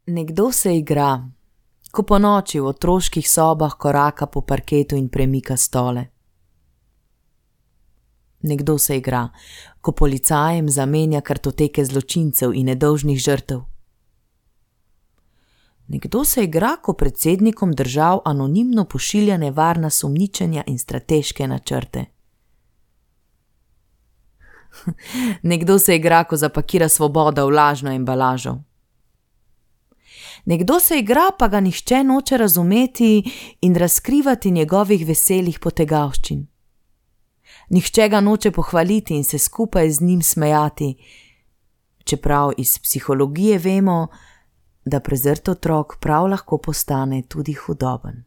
Nekdo se igra, ko ponoči v otroških sobah koraka po parketu in premika stole. Nekdo se igra, ko policajem zamenja kartoteke zločincev in nedolžnih žrtev. Nekdo se igra, ko predsednikom držav anonimno pošilja nevarna sumničenja in strateške načrte. Nekdo se igra, ko zapakira svobodo v lažno embalažo. Nekdo se igra, pa ga nihče noče razumeti in razkrivati njegovih veselih potegavščin. Nihče ga noče pohvaliti in se skupaj z njim smejati, čeprav iz psihologije vemo, da prezrt otrok prav lahko postane tudi hudoben.